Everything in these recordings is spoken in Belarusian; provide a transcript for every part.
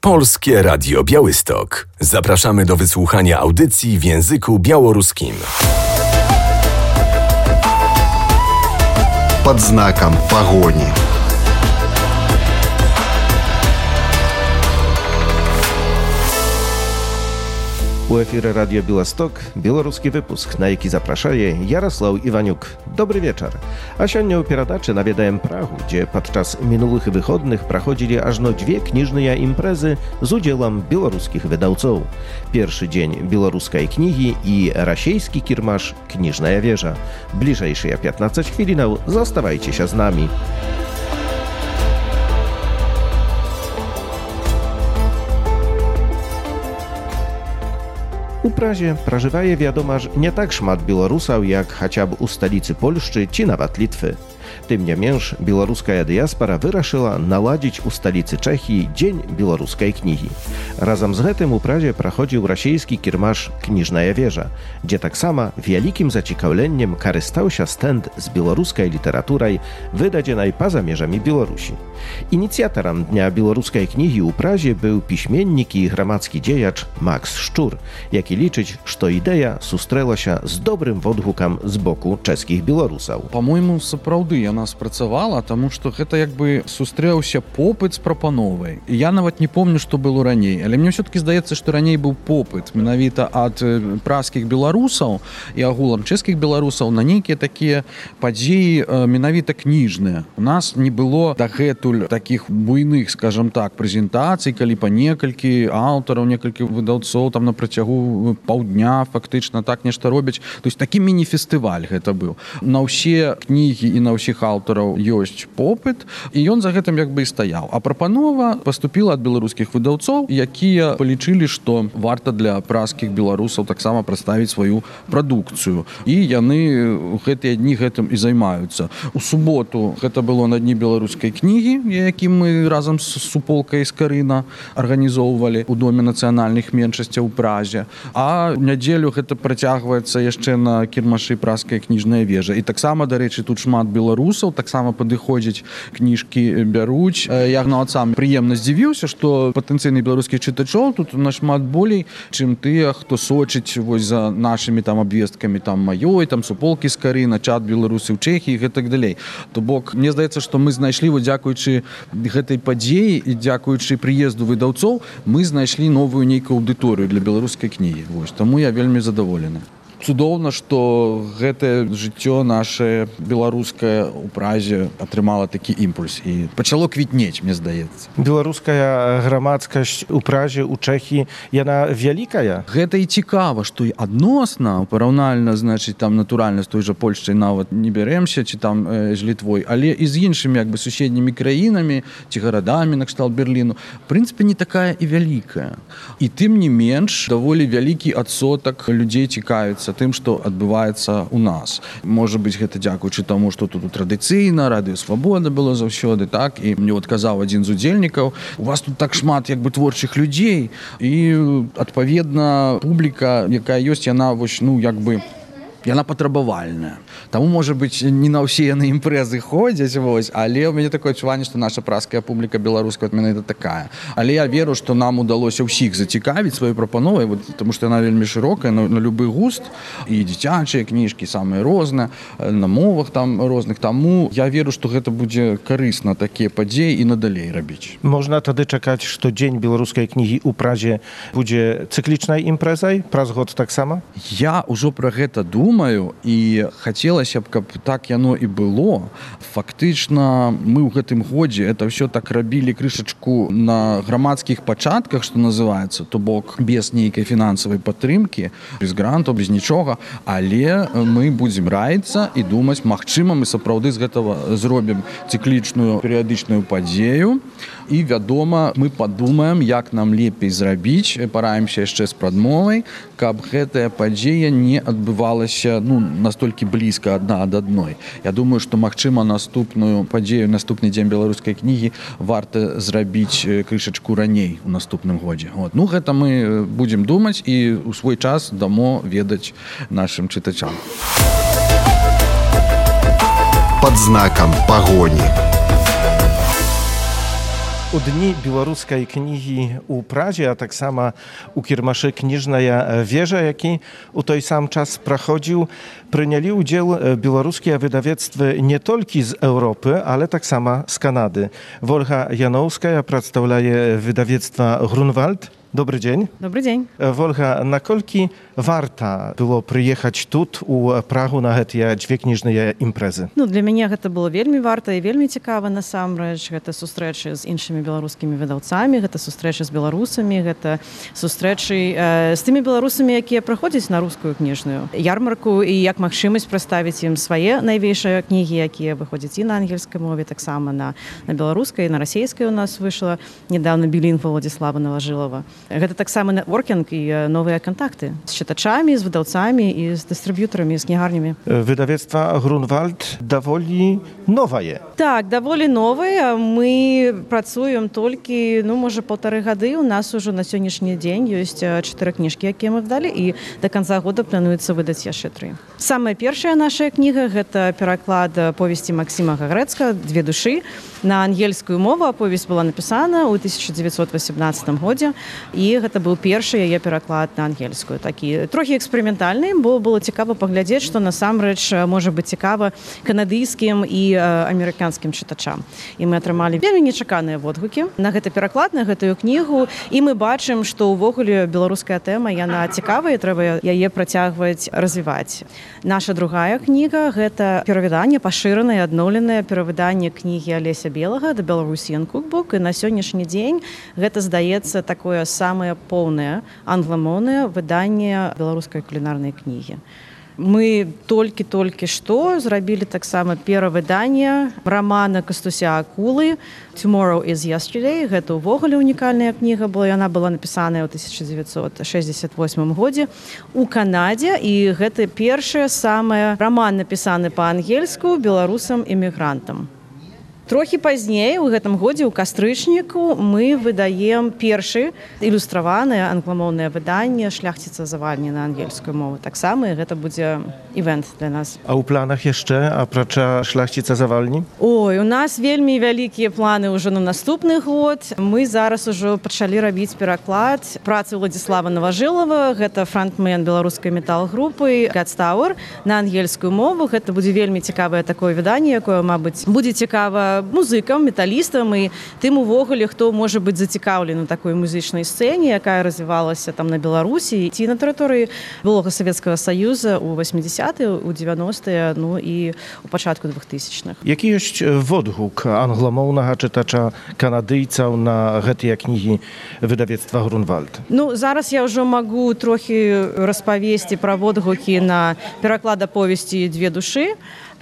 Polskie Radio Białystok. Zapraszamy do wysłuchania audycji w języku białoruskim. Под знаком погони. У эфіры радіё Беласток беларускі выпуск, на які запрашае Ярослаў Іванюк. Добры вечар. А сёння ў перадачы наведаем Прагу, дзе падчас мінулых выходных праходзілі ажно 2 кніжныя імпрэзы з удзелам беларускіх выдаўцоў. Першы дзень беларускай кнігі і расейскі кірмаш «Кніжная вежа». Бліжэйшыя 15 хвілінаў заставайцеся з намі. У Празе пражывае, вядома ж, не так шмат беларусаў, як хаця б у сталіцы Польшчы ці нават Літвы. Тым не менш, беларуская дыяспара вырашыла наладзіць у сталіцы Чэхіі дзень беларускай кнігі. Разам з гэтым у Празе праходзіў расейскі кірмаш «Кніжная вежа», дзе таксама вялікім зацікаўленнем карыстаўся стэнд з беларускай літаратурай, выдадзенай па-за межамі Беларусі. Ініцыятарам Дня беларускай кнігі ў Празе быў пісьменнік і грамадскі дзеяч Макс Шчур, які лічыць, што ідэя сустрэлася з добрым водгукам з боку чэшскіх беларусаў. Па-мойму, сапраўды яна спрацавала, таму што гэта як бы сустрэўся попыт з прапановай. І я нават не помню, што было раней, але мне ўсё-такі здаецца, што раней быў попыт менавіта ад пражскіх беларусаў і агулам чэшскіх беларусаў на нейкія такія падзеі менавіта кніжныя. У нас не было дагэтуль такіх буйных, скажам так, прэзентацый, калі па некалькі аўтараў, некалькі выдаўцоў там на працягу паўдня фактычна так нешта робяць. То есть такі міні-фестываль гэта быў. На ўсе кнігі і на ўсіх аўтараў ёсць попыт, і ён за гэтым як бы і стаяў. А прапанова паступіла ад беларускіх выдаўцоў, якія палічылі, што варта для пражскіх беларусаў таксама прадставіць сваю прадукцыю. І яны гэтыя дні гэтым і займаюцца. У суботу гэта было на дні беларускай кнігі, які мы разам з суполкай з Карына арганізоўвалі ў Доме нацыянальных меншасцяў у Празе. А нядзелю гэта працягваецца яшчэ на кірмашы пражская кніжная вежа. І таксама, дарэчы, тут шмат беларусаў, таксама падыходзяць, кніжкі бяруць. Я нават сам прыемна здзівіўся, што патэнцыйны беларускіх чытачоў тут нашмат болей, чым тыя, хто сочыць вось за нашымі там абвесткамі там маёй, там суполкі з Карына, чат беларусы ў Чэхіі і гэтак далей. То бок, мне здаецца, што мы знайшлі, вот дзякуючы гэтай падзеі і дзякуючы прыезду выдаўцоў, мы знайшлі новую нейкую аўдыторыю для беларускай кнігі. Вось, таму я вельмі задаволены. Цудоўна, што гэтае жыццё наше беларускае ў Празе атрымала такі імпульс і пачало квітнець, мне здаецца. Беларуская грамадскасць у Празе, у Чэхіі, яна вялікая? Гэта і цікава, што і адносна, параўнальна, значыць, там натуральна з той жа Польшчай нават не бярэмся, ці там з Літвой, але і з іншымі як бы суседнімі краінамі, ці гарадамі накшталт Берліну, в прынцыпе, не такая і вялікая. І тым не менш, даволі вялікі адсотак людзей цікавіцца тым, што адбываецца ў нас. Можа быць, гэта дзякуючы таму, што тут традыцыйна, радыё Свабода было заўсёды, так? І мне вот казаў адзін з удзельнікаў, у вас тут так шмат як бы творчых людзей, і адпаведна публіка, якая ёсць, яна вось, ну, як бы яна патрабавальная. Таму, можа быць, не на ўсе яны імпрэзы ходзяць, вось, але ў мяне такое адчуванне, што наша пражская публіка беларуская от менавіта такая. Але я веру, што нам удалося ўсіх зацікавіць сваёй прапановай, вот, таму што яна вельмі шырокая, на любы густ, і дзіцячыя кніжкі самыя розныя, на мовах там розных. Таму я веру, што гэта будзе карысна такія падзеі і надалей рабіць. Можна тады чакаць, што дзень беларускай кнігі ў Празе будзе цыклічнай імпрэзай? Праз год таксама? Я ўжо пра гэта думаю, і хацелася б, каб так яно і было. Фактычна, мы ў гэтым годзе это ўсё так рабілі крышачку на грамадскіх пачатках, што называецца, то бок без нейкай фінансавай падтрымкі, без гранту, без нічога, але мы будзем раіцца і думаць, магчыма, мы сапраўды з гэтага зробім цыклічную перыядычную падзею, і, вядома, мы падумаем, як нам лепей зрабіць, параімся яшчэ з прадмовай, каб гэтая падзея не адбывалася, ну, настолькі блізка адна ад адной. Я думаю, што, магчыма, наступную падзею, наступны дзень беларускай кнігі варта зрабіць крышачку раней у наступным годзе. Вот. Ну, гэта мы будзем думаць і ў свой час дамо ведаць нашым чытачам. Под знаком погони. У дні білоруської книги у Празі, а так само у кірмашы кніжная вежа, які у той сам час праходзіў, прынялі ўдзел беларускія выдавецтвы не толькі з Еўропы, але таксама з Канады. Вольга Яноўская прадстаўляе выдавецтва Грунвальд. Добрый день. Добрый день. Вольга, наколькі варта было прыехаць тут у Прагу на гэтыя дзве кніжныя імпрэзы? Для мяне гэта было вельмі варта і вельмі цікава насамрэч. Гэта сустрэчы з іншымі беларускімі выдаўцамі, гэта сустрэчы з беларусамі, гэта сустрэчы з тымі беларусамі, якія праходзяць на рускую кніжную ярмарку і як магчымасць прадставіць ім свае найвейшыя кнігі, якія выходзяць і на ангельскай мове, таксама на беларускай, на расейскай у нас выйшла недавно білінгва Владислава Наважылава. Гэта таксама нетворкінг і новыя кантакты з чытачамі, з выдаўцамі і з дыстрыб'ютарамі, з кнігарнямі. Выдавецтва Грунвальд даволі новае. Так, даволі новае. Мы працуем толькі, можа, 1,5 гады. У нас ужо на сённяшні дзень ёсць 4 кніжкі, якія мы выдалі, і да канца года плануецца выдаць яшчэ 3. Самая першая наша кніга – гэта пераклад повесці Максіма Гагрэцка «Две душы». На ангельскую мову аповесць была напісана ў 1918 годзе, і гэта быў першы яе пераклад на ангельскую. Такі трохі эксперыментальны, бо было цікава паглядзець, што насамрэч можа быць цікава канадыйскім і амерыканскім чытачам. І мы атрымалі вельмі нечаканыя водгукі на гэты пераклад, на гэтую кнігу, і мы бачым, што ўвогуле беларуская тэма, яна цікавая, трэба яе працягваць развіваць. Наша другая кніга – гэта перавыданне, пашыранае, адноўленае перавыданне кнігі Алеся Белага «The Belarusian Cookbook», і на сённяшні дзень гэта, здаецца, такое самае поўнае англамоўнае выданне беларускай кулінарнай кнігі. Мы толькі што зрабілі таксама перавыданне рамана Кастуся Акулы «Tomorrow is Yesterday». Гэта ўвогуле унікальная кніга была. Яна была напісаная ў 1968 годзе у Канадзе, і гэта першая самая раман напісаны па-ангельску беларусам-эмігрантам. Трохі пазней, у гэтым годзе, у кастрычніку, мы выдаем першы ілюстраванае англамоўнае выданне «Шляхціца завальні» на ангельскую мову. Таксама гэта будзе івент для нас. А ў планах яшчэ, апрача «Шляхціца завальні»? Ой, у нас вельмі вялікія планы ўжо на наступны год. Мы зараз ужо пачалі рабіць пераклад працы Владислава Наважылава, гэта франтмен беларускай метал-групы «God's Tower» на ангельскую мову. Гэта будзе вельмі цікавае такое выданне, якое, мабыць, будзе цікава музыкам, металістам і тым увогуле, хто можа быць зацікаўлены у такой музычнай сцэне, якая развівалася там на Беларусі ці на тэрыторыі былога Савецкага Саюза ў 80-е, у 90-е, і у пачатку 2000-х. Які ёсць водгук англамоўнага чытача канадыйцаў на гэтыя кнігі выдавецтва Грунвальд? Зараз я ўжо магу трохі распавесці пра водгукі на пераклад аповесці «Две душы».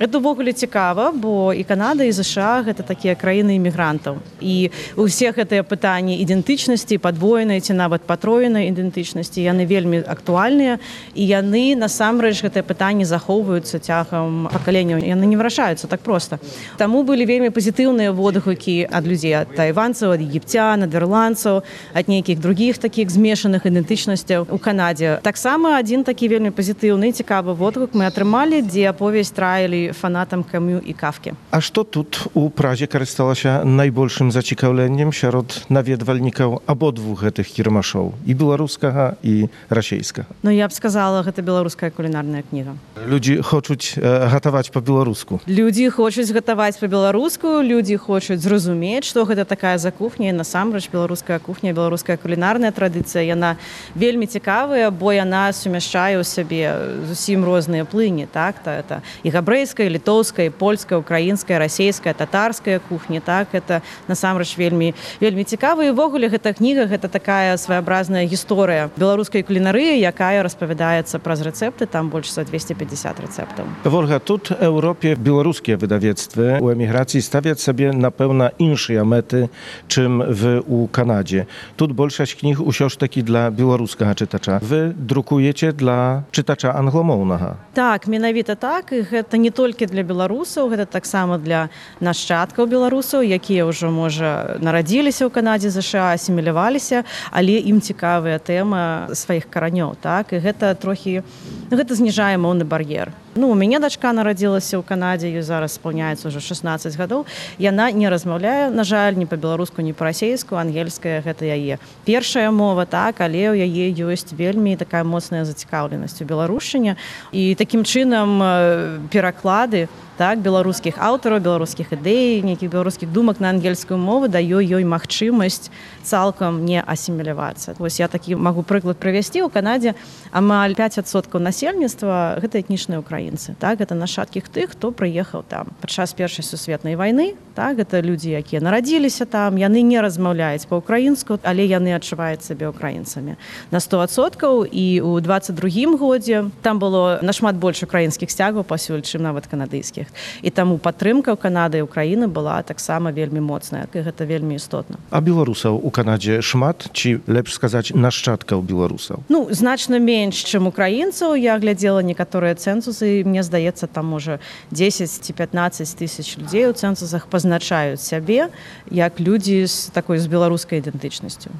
Гэта ўвогуле цікава, бо і Канада, і ЗША – гэта такія краіны імігрантаў. І ўсе гэтыя пытанні ідэнтычнасці, падвоенай ці нават патроенай ідэнтычнасці, яны вельмі актуальныя, і яны, насамрэч, гэтыя пытанні захоўваюцца цягам пакаленняў. Яны не вырашаюцца так проста. Таму былі вельмі пазітыўныя водгукі ад людзей, ад тайванцаў, ад егіпцян, ад ірландцаў, ад нейкіх другіх такіх змешаных ідэнтычнасцяў у Канадзе. Таксама адзін такі вельмі пазітыўны, цікавы водгук мы атрымалі, дзе аповесць траілі фанатам Камю і Кафкі. А што тут у Празе карысталася найбольшым зацікаўленнем сярод наведвальнікаў абодвух гэтых кірмашоў, і беларускага, і расейскага? Я б сказала, гэта беларуская кулінарная кніга. Людзі хочуць гатаваць па-беларуску. Людзі хочуць гатаваць па-беларуску, людзі хочуць зразумець, што гэта такая за кухня, і насамрэч беларуская кухня, беларуская кулінарная традыцыя, яна вельмі цікавая, бо яна сумяшчае ў сабе зусім розныя плыні, так? Это і габрэйская, літоўская, польская, украінская, расейская, татарская кухня, так? Это насамрэч вельмі цікава. І ўвогуле гэта кніга, гэта такая своеобразная гісторыя беларускай кулінарыі, якая распавядаецца праз рэцэпты, там больш за 250 рэцэптаў. Вольга, тут у Еўропе беларускія выдавецтвы ў эміграцыі ставяць сабе, напэўна, іншыя мэты, чым у Канадзе. Тут большасць кніг усё ж такі для беларускага чытача. Вы друкуеце для чытача англамоўнага. Так, менавіта так, і гэта не толькі для беларусаў, гэта таксама для нашчадкаў беларусаў, якія ўжо, можа, нарадзіліся ў Канадзе, ЗША, асіміляваліся, але ім цікавая тэма сваіх каранёў, так? І гэта трохі гэта зніжае моўны бар'ер. У мяне дачка нарадзілася ў Канадзе, ёй зараз спаўняецца ўжо 16 гадоў. Яна не размаўляе, на жаль, ні па-беларуску, ні па-расейску, ангельская гэта яе першая мова, так, але ў яе ёсць вельмі такая моцная зацікаўленасць у беларушчыне. І такім чынам пераклады, так, беларускіх аўтараў, беларускіх ідэй, нейкіх беларускіх думак на ангельскую мову дае ёй магчымасць цалкам не асімілявацца. Вось я такі магу прыклад прывесці. У Канадзе амаль 5% насельніцтва гэта этнічныя украінцы. Так, гэта нашчадкі тых, хто прыехаў там падчас Першай сусветнай вайны. Так, гэта людзі, якія нарадзіліся там, яны не размаўляюць па-украінску, але яны адчуваюць сябе украінцамі на 100%. І ў 22-м годзе там было нашмат больш украінскіх сцягаў пасюль, чым нават канадыйскіх. І таму падтрымка ў Канады і Украіны была таксама вельмі моцная, і гэта вельмі істотна. А беларусаў у Канадзе шмат, ці лепш сказаць нашчадкаў беларусаў? Значна менш, чым украінцаў. Я глядзела некаторыя цэнсусы, і мне здаецца, там можа 10 ці 15 тысяч людзей у цэнсусах пазначаюць сябе як людзі з беларускай ідэнтычнасцю.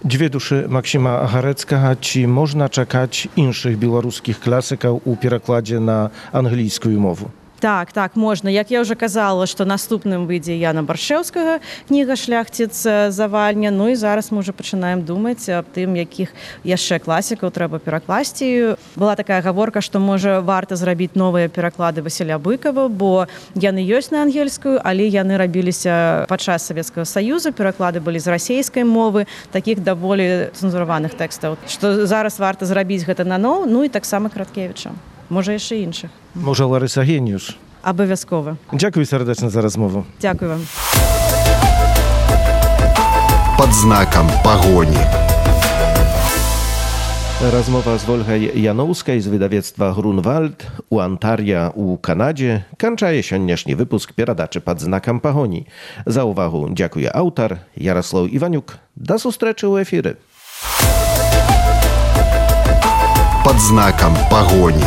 Дзве душы Максіма Гарэцкага. Ці можна чакаць іншых беларускіх класікаў у перакладзе на англійскую мову? Так, можна. Як я ўжо казала, што наступным выйдзе Яна Баршэўскага кніга «Шляхціц Завальня». І зараз мы ўжо пачынаем думаць аб тым, якіх яшчэ класікаў трэба перакласці. Была такая гаворка, што можа варта зрабіць новыя пераклады Васіля Быкова, бо яны ёсць на ангельскую, але яны рабіліся падчас Савецкага Саюза, пераклады былі з расейскай мовы, такіх даволі цэнзураваных тэкстаў. Што зараз варта зрабіць гэта наноў, і таксама Краткевіча. Можа, яшчэ іншых. Можа, Ларыса Геніюш? Абавязкова. Дзякуй сардэчна за размову. Дзякуй вам. Пад знакам пагоні. Размова з Вольгай Яноўскай з выдавецтва «Грунвальд» у Антарія у Канадзе канчае сённяшні выпуск перадачы «Пад знакам пагоні». За ўвагу дзякуе аўтар Яраслаў Іванюк. Да сустрэчы ў эфіры. Пад знакам пагоні.